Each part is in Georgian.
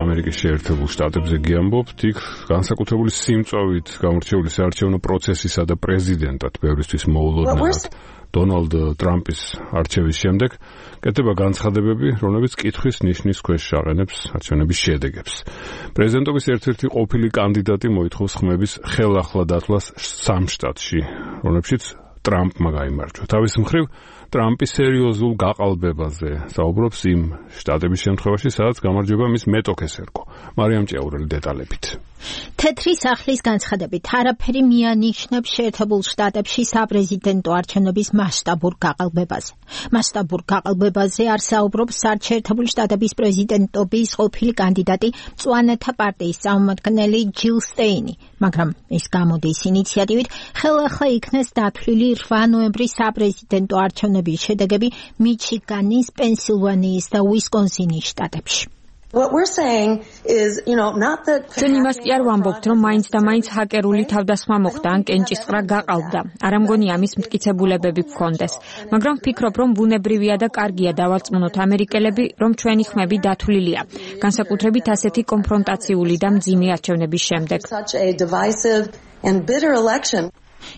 ამერიკის შეერთებულ შტატებზე გიამბობთ, იქ განსაკუთრებული სიმწვავით გამორჩეული საარჩევნო პროცესისა და პრეზიდენტად ბევრისთვის მოულოდნელად დონალდ ტრამპის არჩევის შემდეგ კეთდება განცხადებები, რომლებიც კითხვის ნიშნის ქვეშ აყენებს არჩევნების შედეგებს. პრეზიდენტობის ერთ-ერთი ყოფილი კანდიდატი მოითხოვს ხმების ხელახლა დათვლას 3 შტატში, რომლებშიც ტრამპმა გაიმარჯვა. თავის მხრივ ტრამპი სერიოზულ გაყალბებაზე საუბრობს იმ შტატების შემთხვევაში, სადაც გამარჯვება მის მეტოქეს ერგო. მარიამ ჭიაურელი დეტალებით. თეთრი სახლის განცხადებით არაფერი მიანიშნებს შეერთებულ შტატებში საპრეზიდენტო არჩევნების მასშტაბურ გაყალბებაზე. მასშტაბურ გაყალბებაზე არ საუბრობს შეერთებულ შტატების პრეზიდენტობის ყოფილი კანდიდატი მწვანეთა პარტიის წარმომადგენელი ჯილ სტეინი, მაგრამ ის გამოდის ინიციატივით ხელახლა იქნეს დათვლილი 8 ნოემბრის საპრეზიდენტო არჩევნების შედეგები მიჩიგანის, პენსილვანიის და უისკონსინის შტატებში. What we're saying is, not that ჩვენ იმას კი არ ვამბობთ, რომ მაინც და მაინც ჰაკერული თავდასხმა მოხდა ან კენჭისყრა გაყალბდა. არ ამგონია ამის მტკიცებულებები გქონდეს. მაგრამ ვფიქრობ, რომ ბუნებრივია და კარგია დავარწმუნოთ ამერიკელები, რომ ჩვენი ხმები დათვლილია. განსაკუთრებით ასეთი კონფრონტაციული და მძიმე არჩევნების შემდეგ.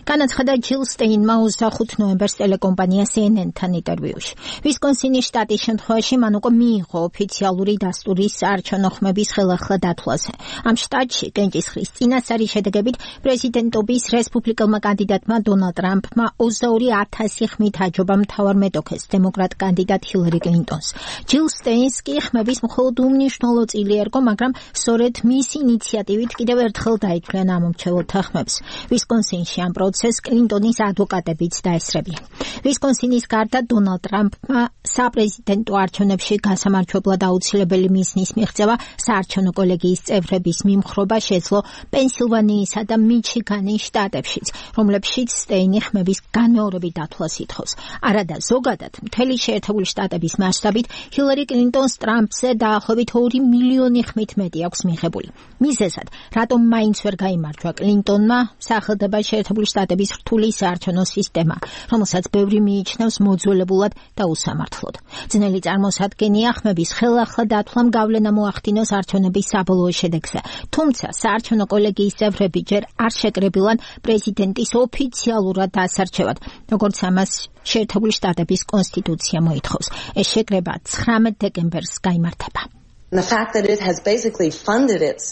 განაცხადა ჯილ სტეინმა 25 ნოემბერს ტელეკომპანია CNN-თან ინტერვიუში. ვისკონსინის შტატის შემთხვევაში მან უკვე მიიღო ოფიციალური დასტური საარჩევნო ხმების ხელახლა დათვლაზე. ამ შტატში კენჭისყრის წინასწარი შედეგებით პრეზიდენტობის რესპუბლიკელმა კანდიდატმა დონალდ ტრამპმა 22,000 ხმით აჯობა მთავარ მეტოქეს დემოკრატ კანდიდატ ჰილარი კლინტონს. ჯილ სტეინს კი ხმების მხოლოდ უმნიშვნელო წილი ერგო, მაგრამ სწორედ მის ინიციატივით კიდევ ერთხელ დაითვლიან ამომრჩეველთა ხმებს. ვისკონსინში ამ პროცესს კლინტონის ადვოკატებიც დაესწრებიან. ვისკონსინის გარდა დონალდ ტრამპმა საპრეზიდენტო არჩევნებში გასამარჯვებლად აუცილებელი მიზნის მიღწევა საარჩევნო კოლეგიის წევრების მიმხრობა შეძლო პენსილვანიისა და მიჩიგანის შტატებშიც, რომლებშიც სტეინი ხმების განმეორებით დათვლას ითხოვს. არადა ზოგადად მთელი შეერთებული შტატების მასშტაბით ჰილარი კლინტონს ტრამპზე დაახლოებით 2 მილიონი ხმით მეტი აქვს მიღებული. მიზეზად, რატომ მაინც ვერ გაიმარჯვა კლინტონმა, სახელდება შეერთებული შტატების რთული საარჩევნო სისტემა, რომელსაც ბევრი მიიჩნევს მოძველებულად და უსამართლოდ. ძნელი წარმოსადგენია ხმების ხელახლა დათვლამ გავლენა მოახდინოს არჩევნების საბოლოო შედეგზე, თუმცა საარჩევნო კოლეგიის წევრები ჯერ არ შეკრებილან პრეზიდენტის ოფიციალურად დასარჩევად, როგორც ამას შეერთებული შტატების კონსტიტუცია მოითხოვს. ეს შეკრება 19 დეკემბერს გაიმართება.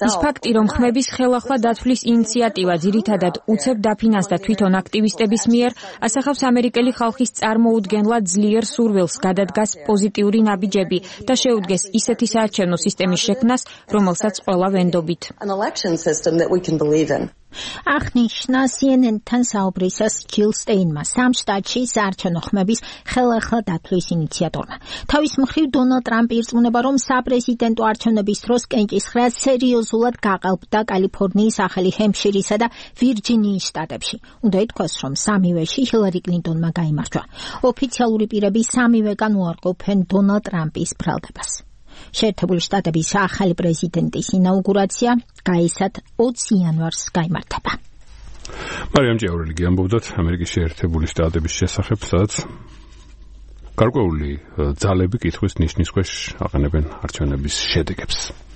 ის ფაქტი, რომ ხმების ხელახლა დათვლის ინიციატივა ძირითადად უცებ დაფინანსდა თვითონ აქტივისტების მიერ, ასახავს ამერიკელი ხალხის წარმოუდგენლად ძლიერ სურვილს გადადგას პოზიტიური ნაბიჯები და შეუდგეს ისეთი საარჩევნო სისტემის შექმნას, რომელსაც ყველა ვენდობით. აღნიშნა CNN-თან საუბრისას ჯილ სტეინმა 3 შტატში საარჩევნო ხმების ხელახლა დათვლის ინიციატორმა. თავის მხრივ დონალდ ტრამპი ირწმუნება, რომ საპრეზიდენტო არჩევნების დროს კენჭისყრა სერიოზულად გაყალბდა კალიფორნიის, ახალი ჰემფშირისა და ვირჯინიის შტატებში. უნდა ითქვას, რომ სამივეში ჰილარი კლინტონმა გაიმარჯვა. ოფიციალური პირები სამივეგან უარყოფენ დონალდ ტრამპის ბრალდებას. შეერთებული შტატების ახალი პრეზიდენტის ინაუგურაცია გაისად 20 იანვარს გაიმართება. მარიამ ჭიაურელი გიამბობდათ ამერიკის შეერთებული შტატების შესახებ, სადაც გარკვეული ძალები კითხვის ნიშნის ქვეშ აყენებენ არჩევნების შედეგებს.